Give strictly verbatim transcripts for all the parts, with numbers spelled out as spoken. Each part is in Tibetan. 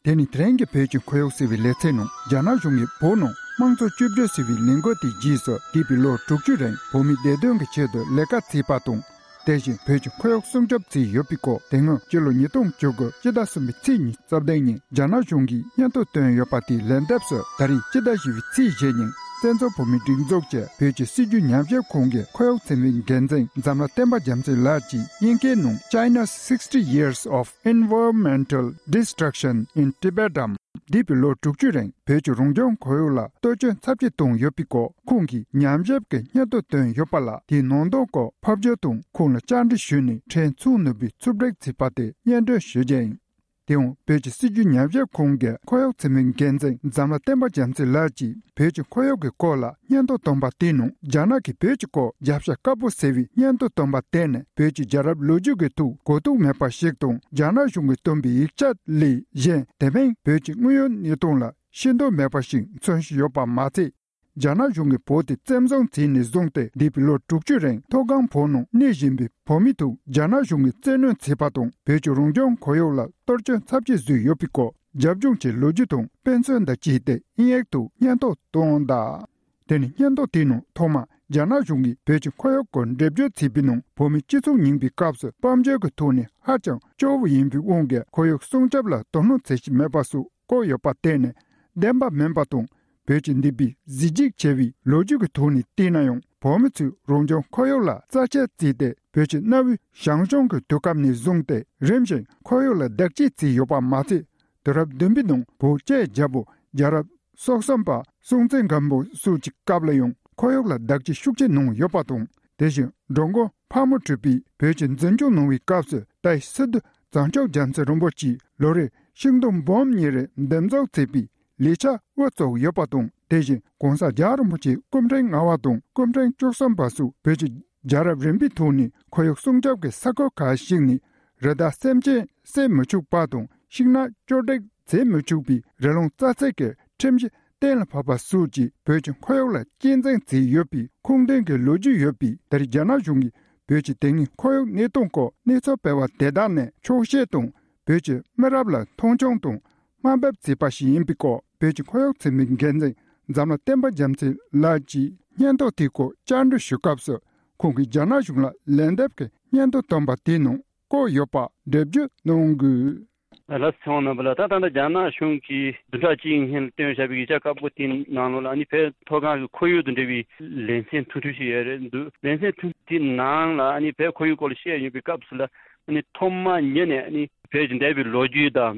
དེ་ནི་དེ་རིང་གི་བོད་ཀྱི་ཁོར་ཡུག་ཟེར་བའི་ལེ་ཚན་ནང་རྒྱ་ནག་གཞུང་གིས་བོད་ནང་དམངས་གཙོ་བཅོས་བསྒྱུར་ཟེར་བའི་ལས་འགུལ་དེའི་རྗེས་སུ་འདས་པའི་ལོ་དྲུག་ཅུ་རིང་བོད་མིའི་བདེ་དོན་གྱི་ཆེད་དུ་ལས་ཀ་བྱས་པ་དང་། དེ་བཞིན་བོད་ཀྱི་ཁོར་ཡུག་སྲུང་སྐྱོབ་བྱས་ཡོད་པའི་སྐོར། དེ་སྔོན་སྤྱི་ལོ་ཉིས་སྟོང་བཅུ་དགུ་སྤྱི་ཟླ་གསུམ་པའི་ཚེས་ཉི་ཤུ་རྩ་བདུན་ཉིན་རྒྱ་ནག་གཞུང་གིས་སྙན་ཐོ་བཏོན་ཡོད་པ་དེའི་ལན་འདེབས་སུ། ད་རེས་སྤྱི་ཟླ་བཞི་པའི་ཚེས་བཞི་ཉིན་བཙན་བྱོལ་བོད་མིའི་སྒྲིག་འཛུགས་ཀྱི་བོད་ཀྱི་སྲིད་བྱུས་ཉམས་ཞིབ་ཁང་གི་ཁོར་ཡུག་ཚན་པའི་འགན་འཛིན་འཛམ་ལྷ་བསྟན་པ་རྒྱ་མཚོ་ལགས་ཀྱིས་དབྱིན་སྐད་ནང་China's sixty years of environmental destruction in Tibet འམ། འདས་པའི་ལོ་དྲུག་ཅུ་རིང་བོད་ཀྱི་རང་བྱུང་ཁོར་ཡུག་ལ་གཏོར་སྐྱོན་ཚབས་ཆེ་བཏང་ཡོད་པའི་སྐོར་ཁོང་གིས་ཉམས་ཞིབ་ཀྱི་སྙན་ཐོ་བཏོན་ཡོད་པ་ལ། དེའི་ནང་དོན་སྐོར་ཕབ་སྒྱུར་དང་ཁོང་ལ་བཅར་འདྲི་ཞུས་ནས་ཕྲན་ཚུགས་ནུས་པའི་ཕྱོགས་སྒྲིག་བྱས་པ་དེ་སྙན་སྒྲོན་ཞུ་རྒྱུ་ཡིན། དེའང་བོད་ཀྱི་སྲིད་བྱུས་ཉམས་ཞིབ་ཁང་གི་ཁོར་ཡུག་ཚན་པའི་འགན་འཛིན་འཛམ་ལྷ་བསྟན་པ་རྒྱ་མཚོ་ལགས་ཀྱིས་བོད་ཀྱི་ཁོར་ཡུག་གི་སྐོར་ལ་སྙན་ཐོ་བཏོན་པ་དེའི་ནང་རྒྱ་ནག་གིས་བོད་ཀྱི་སྐོར་རྒྱབ་ཤ་དཀར་པོ་ཟེར་བའི་སྙན་ཐོ་བཏོན་པ་དེ་ནི་བོད་ཀྱི་རྒྱལ་རབས་ལོ་རྒྱུས་ཀྱི་ཐོག་གོ་རྟོགས་མེད་པ་ཞིག་དང་། རྒྱ་ནག་གཞུང་གིས་བཏོན་པའི་ཡིག་ཆ་ལས་གཞན་དེ་མིན་བོད་ཀྱི་དངོས་ཡོད་གནས་སྟངས་ལ་ཤེས་རྟོགས་མེད་པ་ཞིག་མཚོན་བཞིན་ཡོད་པ་མ་ཚད། རྒྱ་ནག་གཞུང་གིས་བོད་དེ་བཙན་བཟུང་བྱས་ནས་བཟུང་སྟེ་འདས་པའི་ལོ་དྲུག་ཅུ་རིང་མཐོ་སྒང་བོད་ནང་གནས་བཞིན་པའི་བོད་མི་ཐོག་རྒྱ་ནག་གཞུང་གིས་བཙན་གནོན་བྱས་པ་དང་། བོད་ཀྱི་རང་བྱུང་ཁོར་ཡུག་ལ་གཏོར་སྐྱོན་ཚབས་ཆེ་བཟོས་ཡོད་པའི་སྐོར་རྒྱབ་ལྗོངས་ཀྱི་ལོ་རྒྱུས་དང་དཔེ་མཚོན་དང་བཅས་ཏེ་དབྱིན་ཡིག་ཐོག་སྙན་ཐོ་བཏོན་གདའ། དེ་ནི་སྙན་ཐོ་དེའི་ནང་ཐོག་མར་རྒྱ་ནག་གཞུང་གིས་བོད་ཀྱི་ཁོར་ཡུག་སྐོར་འགྲེལ་བརྗོད་བྱས་པའི་ནང་བོད་མི་སྤྱི་ཚོགས་རྙིང་པའི་སྐབས་སུ་དཔལ་འབྱོར་གྱི་ཐོག་ནས་ཧ་ཅང་སྐྱོ་བོ་ཡིན་པའི་དབང་གིས་ཁོར་ཡུག་སྲུང་སྐྱོབ་ལ་དོ་སྣང་བྱེད་བཞིན་མེད་པ་སོགས་བཀོད་ཡོད་པ་དེ་ནི་བདེན་པ་མིན་པ་དང་། བོད་ཀྱི་འདས་པའི་གཟི་བརྗིད་ཆེ་བའི་ལོ་རྒྱུས་ཀྱི་ཐོག་ནས་བལྟས་ན་ཡང་བོད་མི་ཚོས་རང་བྱུང་ཁོར་ཡུག་ལ་རྩ་ཆེ་བརྩིས་ཏེ་བོད་ཀྱི་གནའ་བོའི་ཞང་ཞུང་གི་དུས་སྐབས་ནས་བཟུང་སྟེ་རིམ་བཞིན་ཁོར་ཡུག་ལ་བདག་གཅེས་བྱས་ཡོད་པ་མ་ཚད། དུས་རབས་བདུན་པའི་ནང་བོད་ཀྱི་རྒྱལ་པོ་རྒྱལ་རབས་སོ་གསུམ་པ་སྲོང་བཙན་སྒམ་པོ་སོགས་ཀྱི་སྐབས་ལ་ཡང་ཁོར་ཡུག་ལ་བདག་གཅེས་ཤུགས་ཆེ་གནང་ཡོད་པ་དང་། དེ་བཞིན་འགྲོ་མགོན་ཕག་མོ་གྲུ་པས་བོད་ཀྱི་འཛིན་སྐྱོང་གནང་བའི་སྐབས་སུ་ད་ཡི་སི་ཏུ་བྱང་ཆུབ་རྒྱལ་མཚན་རིན་པོ་ཆེས་ལོ་རེར་ཤིང་སྡོང་འབུམ་གཉིས་རེ་འདེབས་འཛུགས་བྱས་པའི་ལས་འཆར་དབུ་བཙུགས་ཡོད་པ་དང་། དེ་བཞིན་གོང་ས་རྒྱལ་བ་རིན་པོ་ཆེ་སྐུ་ཕྲེང་ལྔ་པ་དང་སྐུ་ཕྲེང་བཅུ་གསུམ་པ་སོགས་བོད་ཀྱི་རྒྱལ་རབས་རིམ་པའི་ཐོག་ནས་ཁོར་ཡུག་སྲུང་སྐྱོབ་ཀྱི་ས་ཁུལ་ཁག་ཞིག་ནས་རི་དྭགས་སེམས་ཅན་བསད་མི་ཆོག་པ་དང་ཤིང་ནགས་གཅོད་འབྲེག་བྱེད་མི་ཆོག་པའི་རི་ལུང་རྩ་ཚད་ཀྱི་ཁྲིམས་གཞི་གཏན་ལ་ཕབ་པ་སོགས་ཀྱིས་བོད་ཀྱི་ཁོར་ཡུག་ལ་གཅེས་འཛིན་བྱས་ཡོད་པའི་ཁུངས་ལྡན་གྱི་ལོ་རྒྱུས་ཡོད་པས། ད་རེས་རྒྱ་ནག་གཞུང་གིས་བོད་ཀྱི་དེ་སྔའི་ཁོར་ཡུག་གནས་སྟངས་སྐོར་གནས་ཚུལ་སྤེལ་བ་དེ་དག་ནི་འཁྱོག་བཤད་དང་། བོད་ཀྱི་མི་རབས་ལ་མཐོང་ཆུང་དང་དམའ་འབེབས་བྱས་པ་ཞིག་ཡིན་པའི་སྐོར་བོད་ཀྱི་ཁོར་ཡུག་ཚན་པའི་འགན་འཛིན་འཛམ་ལྷ་བསྟན་པ་རྒྱ་མཚོ་ལགས་ཀྱིས་སྙན་ཐོ་དེའི་སྐོར་བཅར་འདྲི་ཞུས་སྐབས་སུ། ཁོང་གིས་རྒྱ་ནག་གཞུང་ལ་ལན་འདེབས་ཀྱི་སྙན་ཐོ་བཏོན་པ་དེའི་ནང་བཀོད་ཡོད་པ་འགྲེལ་བརྗོད་གནང་དགོས། ལགས་སོ། ཚེ་དབང་རྣམ་པ་ལགས། ད་ད་ལྟ་རྒྱ་ནག་གཞུང་གིས་བདུན་ཕྲག་གཅིག་སྔོན་ལ་བཏོན་བཞག་པའི་ཡིག་ཆ་དཀར་པོ་དེའི་ནང་ལོགས་ལ་ཨ་ནི་བོད་མཐོ་སྒང་གི་ཁོར་ཡུག་དང་འབྲེལ་བའི་ལེ་ཚན་ཐུང་ཐུང་ཞིག་ཡོད་རེད་འདུག་ལེ་ཚན་ཐུང་ཐུང་དེའི་ནང་ལ་ཨ་ནི་བོད་ཁོར་ཡུག་སྐོར་ལ་བཤད་ཡོད་པའི་སྐབས་སུ་ལ་ཨ་ནི་ཐོག་མ་ཉིད་ནས་ཨ་ནི་བོད་ཀྱི་འདས་པའི་ལོ་རྒྱུས་དང་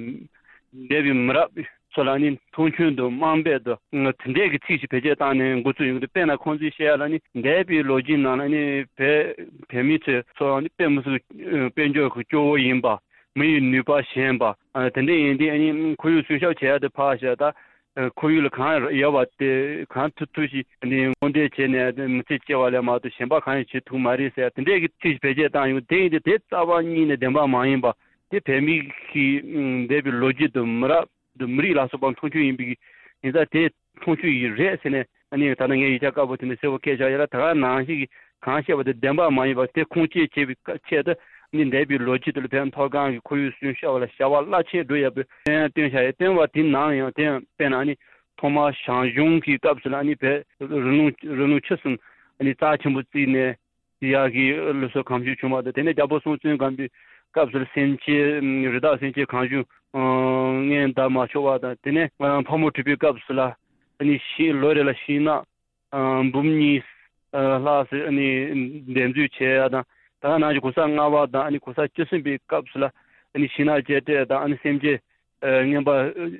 འདས་པའི་མི་རབས་ཚོ་ལ་ཨ་ནི་མཐོང་ཆུང་དང་དམའ་འབེབས་དང་དེ་འདྲས་ཀྱི་ཚིག་ཞིག་བེད་སྤྱོད་བཏང་ནས་འགོ་བཙུགས་ཡོང་གི་འདུག་དཔེར་ན་ཁོང་ཚོས་བཤད་ཡ་ལ་ཨ་ནི་འདས་པའི་ལོ་རྒྱུས་ནང་ལ་ཨ་ནི་བོད་བོད་མི་ཚོས་ཚོ་ཨ་ནི་དཔེ་མི་སྲིད་དཔལ་འབྱོར་གྱི་སྐྱོ་བོ་ཡིན་པ། མི་ཡི་ནུས་པ་ཞན་པ། ཨ་དེ་འདྲ་ཡིན་དུས་ཨ་ནི་ཁོར་ཡུག་སྲུང་སྐྱོབ་བྱེད་ཡ་དེ་ཕར་བཞག་ད། ཨ་ཁོར་ཡུག་ལ་གང་ཡོད་པ་དེ་གང་ཐུབ་ཐུབ་ཞིག་ཨ་ནི་སྔོག་འདོན་བྱས་ནས་མི་ཚེ་སྐྱེལ་བ་ལས་མ་གཏོགས་གཞན་པ་གང་ཡང་བྱེད་ཐུབ་མ་རེད་ཟེར་ཡ་དེ་འདྲས་ཀྱི་ཚིག་བེད་སྤྱོད་བཏང་ཡོང་དེ་ཡིན་དུས་དེ་རྩ་བ་ཉིད་ནས་བདེན་པ་མ་ཡིན་པ་དེ་བོད་མི་གི་འདས་པའི་ལོ་རྒྱུས་དང་མི་རབས་དང་མི་རིགས་ལ་སོགས་པ་མཐོང་ཆུང་ཡིན་པའི་ཡིན་ཙང་དེ་མཐོང་ཆུང་ཡིན་རེད་ཟེར་ནས། ཨ་ནི་ད་ལྟ་ངས་ཡིག་ཆ་དཀར་པོ་དེ་འདྲ་གསལ་པོ་བཀོད་བཞག་ཡོད་ལ། ད་ག་ནང་བཞིན་གྱི་གང་བཤད་པ་དེ་བདེན་པ་མ་ཡིན་པ་དེ་ཁུངས་སྐྱེལ་བྱེད་པའི་ཆེད་དུ་ཨ་ནི་འདས་པའི་ལོ་རྒྱུས་དེ་ལ་བོད་མཐོ་སྒང་གི་ཁོར་ཡུག་སྲུང་སྐྱོབ་ལ་བྱ་བ་རླབས་ཆེན་བསྒྲུབས་ཡོད་པའི་སྟོན་ཡང་སྟོན་བཞག་ཡོད། སྟོན་པ་དེ་ནང་ཡང་དེ་ཡང་དཔེར་ན་ཨ་ནི་ཐོག་མར་ཞང་ཞུང་གི་སྐབས་སུ་ལ་ཨ་ནི་བོད་རི་ལུང་རི་ལུང་ཆུ་གསུམ་ཨ་ནི་རྩ་ཆེན་པོ་བརྩིས་ནས་ཡག་གི་ལུགས་སྲོལ་གང་བྱུང་བྱུང་བ་དང་། དེ་ནས་རྒྱལ་པོ་སྲོང་བཙན་སྒམ་པོའི་སྐབས་སུ་ལ་སེམས་ཅན་རི་དྭགས་སེམས་ཅན་གང་བྱུང་མངོན་བདག་མ་ཆོག་པ་དང་། དེ་ནས་ཕག་མོ་གྲུ་པའི་སྐབས་སུ་ལ་ཨ་ནི་ཤིང་ལོ་རེ་ལ་ཤིང་ནགས། ཨ་འབུམ་གཉིས་ཨ་ལྷག་ཙམ་ཨ་ནི་འདེབས་འཛུགས་བྱས་ཡ་དང་། ད་ག་ནང་བཞིན་གོང་ས་ལྔ་པ་དང་ཨ་ནི་གོང་ས་བཅུ་གསུམ་པའི་སྐབས་སུ་ལ་ཨ་ནི་ཤིང་ནགས་བཅད་བྲེག་དང་ཨ་ནི་སེམས་ཅན་ཨ་རྔོན་པ་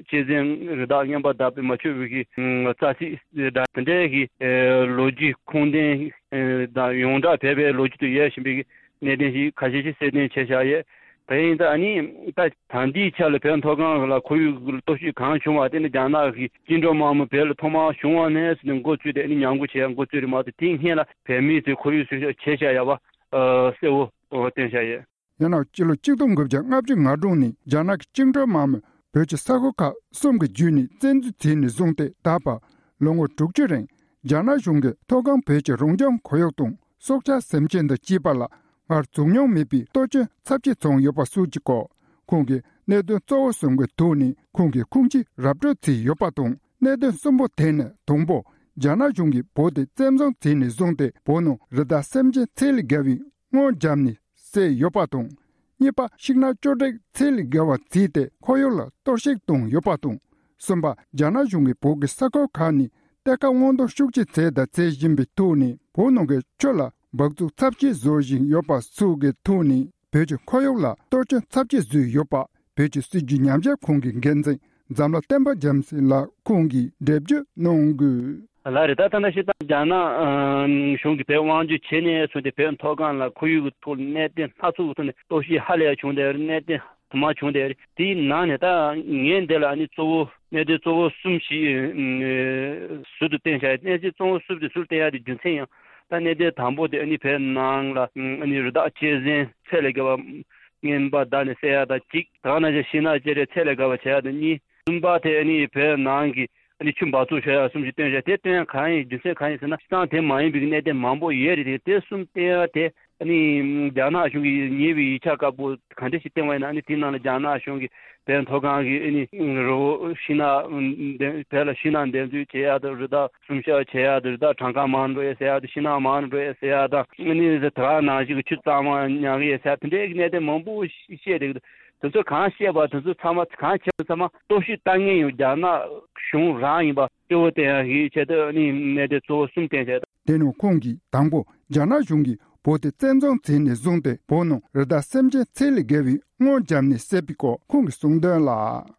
གཅན་གཟན་རི་དྭགས་རྔོན་པ་བདག་པོས་མ་ཆོག་པའི་གི་ཨ་རྩྭ་ཚིགས་དང་དེ་འདྲའི་གི་ཨ་ལོ་རྒྱུས་ཁུངས་ལྡན་ཨ་དང་ཡོངས་གྲགས་བོད་པའི་ལོ་རྒྱུས་དུ་ཡོད་བཞིན་པའི་གི་གནད་དོན་ཞིག་ཁ་ཤས་ཤིག་གསལ་སྟོན་བྱས་བཞག་ཡོད། དེ་ཡིན་ཙང་ཨ་ནི་ད་ད་ལྟའི་ཆ་ལ་བོད་མཐོ་སྒང་ལ་ཁོར་ཡུག་གི་སྟོབས་ཤུགས་གང་བྱུང་བ་དེ་ནི་རྒྱ་ནག་གི་བཅིངས་འགྲོལ་དམག་མི་བོད་ལ་ཐོག་མར་བྱུང་བ་ནས་ཟེར་ནས་འགོ་བཙུགས་ཏེ་ཨ་ནི་ཉམས་རྒུད་བྱས་འགོ་བཙུགས་རེད་མ་གཏོགས་དེའི་སྔོན་ལ་བོད་མིའི་ཚོས་ཁོར་ཡུག་སྲུང་སྐྱོབ་བྱས་བཞག་ཡོད་པ་ཨ་གསལ་བོ་སྟོན་བཞག་ཡོད། ཡང་ན་སྤྱི་ལོ་ཆིག་སྟོང་དགུ་བརྒྱ་ལྔ་བཅུ་ང་དྲུག་ནས་རྒྱ་ནག་གི་བཅིངས་འགྲོལ་དམག་མི་བོད་ཀྱི་ས་ཁུལ་ཁག་གསུམ་གྱི་བརྒྱུད་ནས་བཙན་འཛུལ་བྱས་ནས་བཟུང་སྟེ་ད་བར་ལོ་ངོ་དྲུག་ཅུ་རིང་རྒྱ་ནག་གཞུང་གིས་མཐོ་སྒང་བོད་ཀྱི་རང་བྱུང་ཁོར་ཡུག་དང་སྲོག་ཆགས་སེམས་ཅན་དང་བཅས་པ་ལ་སྔར་བྱུང་མྱོང་མེད་པའི་གཏོར་སྐྱོན་ཚབས་ཆེ་བྱུང་ཡོད་པ་སོགས་ཀྱི་སྐོར། ཁོང་གིས་གནད་དོན་གཙོ་བོ་གསུམ་གྱི་ཐོག་ནས་ཁོང་གིས་ཁུངས་སྐྱེལ་ར་སྤྲོད་བྱས་ཡོད་པ་དང་། གནད་དོན་གསུམ་པོ་དེ་ནི་དང་པོ། རྒྱ་ནག་གཞུང་གིས་བོད་དེ་བཙན་བཟུང་བྱས་ནས་བཟུང་སྟེ་བོད་ནང་རི་དྭགས་སེམས་ཅན་ཚད་ལས་བརྒལ་བའི་སྔོན་བརྒྱབ་ནས་བསད་ཡོད་པ་དང་། གཉིས་པ། ཤིང་ནགས་གཅོད་འབྲེག་ཚད་ལས་བརྒལ་བ་བྱས་ཏེ་ཁོར་ཡུག་ལ་གཏོར་བཤིག་བཏང་ཡོད་པ་དང་། གསུམ་པ། རྒྱ་ནག་གཞུང་གིས་བོད་ཀྱི་ས་ཁུལ་ཁག་ནས་གཏེར་ཁ་སྔོག་འདོན་ཤུགས་ཆེ་བྱས་དང་བྱེད་བཞིན་པའི་ཐོག་ནས། བོད་ནང་གི་ཆུ་ལ་འབག་བཙོག་ཚབས་ཆེ་བཟོ་བཞིན་ཡོད་པ་སོགས་ཀྱི་ཐོག་ནས། བོད་ཀྱི་ཁོར་ཡུག་ལ་གཏོར་སྐྱོན་ཚབས་ཆེ་བཟོས་ཡོད་པ། བོད་ཀྱི་སྲིད་བྱུས་ཉམས་ཞིབ་ཁང་གི་འགན་འཛིན་འཛམ་ལྷ་བསྟན་པ་རྒྱལ་མཚན་ལགས་ཁོང་གིས་འགྲེལ་བརྗོད་གནང་དགོས། ལགས་རེད། ད་ད་ལྟ་ཞིག་ད་རྒྱ་ནག་ཨ་གཞུང་གིས་བོད་དབང་སྒྱུར་བྱས་ནས་བཟུང་སྟེ་བོད་མཐོ་སྒང་ལ་ཁོར་ཡུག་གི་ཐོག་ལ་གནད་དོན་སྣ་ཚོགས་ཀྱི་ཐོག་ནས་གཏོར་བཤིག་ཧ་ལས་ཡ་བྱུང་བསྡད་ཡོད་རེད། གནད་དོན་དུ་མ་བྱུང་བསྡད་ཡོད་རེད། དེའི་ནང་ནས་ད་ངས་འདི་ལ་ཨ་ནི་གཙོ་བོ་གནད་དོན་གཙོ་བོ་གསུམ་ཞིག་ཨ་ཟུར་དུ་བསྟན་བཞག་ཡོད། གནད་དོན་གཙོ་བོ་གསུམ་དེ་ཟུར་བསྟན་ཡ་དེ་རྒྱུ་མཚན་ཡང་ད་གནད་དོན་དང་པོ་དེ་ཨ་ནི་བོད་ནང་ལ་ཨ་ནི་རི་དྭགས་གཅན་གཟན་ཚད་ལས་བརྒལ་བ་རྔོན་པ་བདག་ནས་བསད་ཡ་དང་གཅིག། དེ་ག་ནང་བཞིན་ཤིང་ནགས་གཅོད་འབྲེག་ཚད་ལས་བརྒལ་བ་བྱེད་ཡ་དང་གཉིས། གསུམ་པ་དེ་ཨ་ནི་བོད་ནང་གི་ཨ་ནི་ཆུ་འབག་བཙོག་བྱེད་ཡ་གསུམ་ཞིག་བཏོན་བཞག་དེ་བཏོན་ཡ་གང་ཡིན་རྒྱུ་མཚན་གང་ཡིན་ཟེར་ན། སྤྱིར་བཏང་དེ་མ་ཡིན་པའི་གནད་དོན་མང་པོ་ཡོད་རེད་དེ། དེ་གསུམ་བཏོན་ཡ་དེ་ཨ་ནི་རྒྱ་ནག་གཞུང་གིས་ཉེ་བའི་ཡིག་ཆ་དཀར་པོ་ག་འདྲ་ཞིག་བཏོན་པ་ཡིན་ན། ཨ་ནི་དེའི་ནང་ལ་རྒྱ་ནག་གཞུང་གིས་བོད་མཐོ་སྒང་གི་ཨ་ནི་རི་བོ་ཤིང་ནགས་འདེབས། བོད་ལ་ཤིང་ནགས་འདེབས་འཛུགས་བྱེད་ཡ་དང་། རི་དྭགས་སྲུང་སྐྱོབ་བྱེད་ཡ་དང་། རི་དྭགས་གྲངས་ཀ་མང་རུ་འགྲོ་ཡ་ཟེར་ཡ་དང་། ཤིང་ནགས་མང་རུ་འགྲོ་ཡ་ཟེར་ཡ་དང་། ཨ་ནི་དེ་ག་ནང་བཞིན་གྱི་ཆུ་གཙང་མ་ཉར་གི་ཡོད་ཟེར་ཡ་དེ་འདྲའི་གནད་དོན་མང་པོ་བཤད་བསྡད་ཀྱི་འདུག་དེ་ཚོ་གང་བཤད་པ་དེ་ཚོ་ཚང་མ། གང་བྱས་པ་ཚང་མ་གཏོར་བཤིག་བཏང་མཁན་ཡང་རྒྱ་ནག་གཞུང་རང་ཡིན་པ་གཙོ་བོ་བསྟན་ཡ་གི་ཆེད་དུ་ཨ་ནི་གནད་དོན་གཙོ་བོ་གསུམ་བསྟན་བྱས། དེ་ནང་ཁོང་གིས་དང་པོ་རྒྱ་ནག་གཞུང་གིས་བོད་དེ་བཙན་བཟུང་བྱས་ནས་བཟུང་སྟེ་བོད་ནང་རི་དྭགས་སེམས་ཅན་ཚད་ལས་བརྒལ་བའི་སྔོན་བརྒྱབ་ནས་བསད་པའི་སྐོར་ཁོང་གིས་གསུངས་དོན་ལ།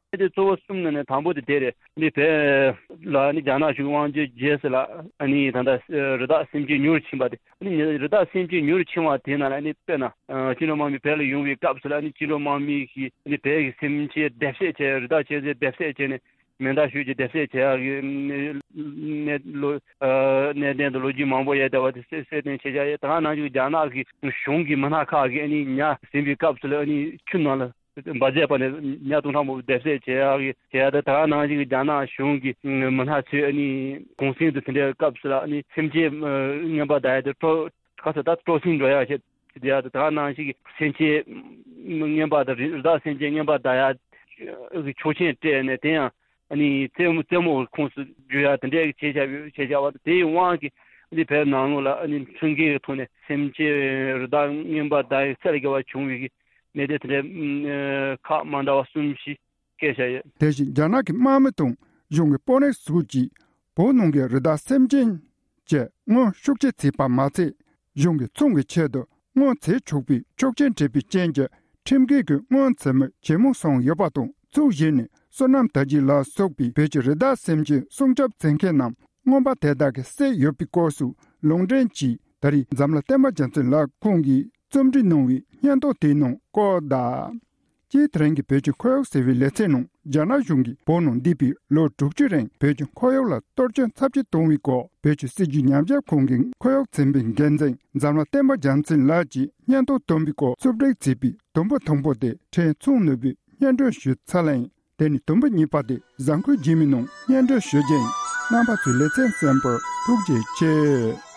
གནད་དོན་གཙོ་བོ་གསུམ་ནང་ནས་དང་པོ་དེ་དེ་རེད། ཨ་ནི་བོད་ལ་ཨ་ནི་རྒྱ་ནག་གཞུང་དབང་སྒྱུར་བྱས་ཟིན་ལ། ཨ་ནི་ད་ལྟ་རི་དྭགས་སེམས་ཅན་ཉུང་རུ་ཕྱིན་པ་དེ། ཨ་ནི་རི་དྭགས་སེམས་ཅན་ཉུང་རུ་ཕྱིན་པ་དེ་ནང་ལ་ཨ་ནི་དཔེར་ན་ཨ་བཅིངས་འགྲོལ་དམག་མི་བོད་ལ་ཡོང་བའི་སྐབས་སུ་ལ་ཨ་ནི་བཅིངས་འགྲོལ་དམག་མི་གིས་ཨ་ནི་བོད་ཀྱི་སེམས་ཅན་བསྡེབས་བསད་བྱས། རི་དྭགས་གཅན་གཟན་བསྡེབས་བསད་བྱས་ནས་མེ་མདའ་གཞུས་ཀྱིས་བསྡེབས་བསད་བྱས་ཡག་གི་གནད་ལོ་ཨ་གནད་དོན་དུ་ལོ་རྒྱུས་མང་པོ་ཡོད་བསྡད་པ་དེ་གསལ་གསལ་སྟོན་བྱེད་བཞག་ཡོད། ད་ག་ནང་བཞིན་རྒྱ་ནག་གི་གཞུང་གི་མི་སྣ་ཁག་གིས་ཨ་ནི་ཉ་ཟིན་པའི་སྐབས་སུ་ལ་ཨ་ནི་ཆུ་ནང་ལ་འབག་བྱས་པ་ནས་ཉ་སྟོང་ཕྲག་མང་པོ་བསྡེབས་བསད་བྱེད་ཡག་གི་བྱེད་ཡག་དང་། ད་ག་ནང་བཞིན་གྱི་རྒྱ་ནག་གཞུང་གི་མི་སྣ་ཚོས་ཨ་ནི་གུང་གསེང་དུ་དེ་འདྲའི་སྐབས་སུ་ལ་ཨ་ནི་སེམས་ཅན་རྔོན་པ་བདག་ཡག་དེ་སྤྲོ་ག་ཚོད་ད་སྤྲོ་ཟིང་འགྲོ་ཡག་བྱེད་ཡག་དང་། ད་ག་ནང་བཞིན་གྱི་སེམས་ཅན་རྔོན་པ་དང་རི་དྭགས་སེམས་ཅན་རྔོན་པ་བདག་ཡག་གི་ཆོག་མཆན་སྤྲད་ནས། དེ་ཡང་ཨ་ནི་རྩེད་མོ་རྩེད་མོ་ཁོངས་སུ་བསྒྱུར་ཡག་དེ་འདྲའི་བྱས་བཞག་བྱས་བཞག་པ་དང་། དེའི་དབང་གིས་ཨ་ནི་བོད་ནང་ལོགས་ལ་ཨ་ནི་ཁྲིམས་འགལ་གྱི་ཐོག་ནས་སེམས་ཅན་རི་དྭགས་རྔོན་པ་བདག་ཡག་ཚད་ལས་བརྒལ་བ་བྱུང་བའི་གནད་དོན་དེ་འདྲའི་ཁག་མ་འདྲ་བ་གསུམ་ཞིག་བཀོད་བཞག་ཡོད། དེ་བཞིན་རྒྱ་ནག་གི་དམག་མི་དང་གཞུང་གི་དཔོན་རིགས་སོགས་ཀྱིས་བོད་ནང་གི་རི་དྭགས་སེམས་ཅན་བཅས་སྔོན་ཤུགས་ཆེ་བྱས་པ་མ་ཚད། གཞུང་གིས་ཚོང་གི་ཆེད་དུ་སྔོན་བྱེད་ཆོག་པའི་ཆོག་མཆན་སྤྲད་པའི་རྐྱེན་གྱིས། ཁྲིམས་འགལ་གྱི་སྔོན་བྱེད་མི་ཇེ་མང་སོང་ཡོད་པ་དང་། ཚོགས་བཞི་ནས་བསོད་ནམས་དར་རྒྱས་ལ་སོགས་པའི་བོད་ཀྱི་རི་དྭགས་སེམས་ཅན་སྲུང་སྐྱོབ་བྱེད་མཁན་རྣམས་རྔོན་པ་དེ་དག་གིས་བསད་ཡོད་པའི་སྐོར་སོགས་ལུང་འདྲེན་གྱིས། ད་རེས་འཛམ་གླིང་བསྟན་པ་རྒྱལ་མཚན་ལགས་ཁོང་གིས་རྩོམ་སྒྲིག་གནང་བའི་སྙན་ཐོ་དེའི་ནང་བཀོད་གདའ། སྤྱིར་དེ་རིང་གི་བོད་ཀྱི་ཁོར་ཡུག་ཟེར་བའི་ལེ་ཚན་ནང་། རྒྱ་ནག་གཞུང་གིས་བོད་ནང་འདས་པའི་ལོ་དྲུག་ཅུ་རིང་བོད་ཀྱི་ཁོར་ཡུག་ལ་གཏོར་སྐྱོན་ཚབས་ཆེ་བཏང་བའི་སྐོར། བོད་ཀྱི་སྲིད་བྱུས་ཉམས་ཞིབ་ཁང་གི་ཁོར་ཡུག་ཚན་པའི་འགན་འཛིན་འཛམ་གླིང་བསྟན་པ་རྒྱལ་མཚན་ལགས་ཀྱིས་སྙན་ཐོ་བཏོན་པའི་སྐོར། རྩོམ་སྒྲིག་བྱས་པའི་དུམ་བུ་ཐུང་པོ་དེ་ཕྲན་ཚོགས་ནུས་པས་སྙན་སྒྲོན་ཞུས་ཚར་ལེ་ཡིན། དེ་ནས་དུམ་བུ་གཉིས་པ་དེ་གཟའ་འཁོར་རྗེས་མའི་ནང་སྙན་སྒྲོན་ཞུ་རྒྱུ་ཡིན། རྣམ་པ་ཚོས་ལེ་ཚན་གསན་པར་ཐུགས་རྗེ་ཆེ།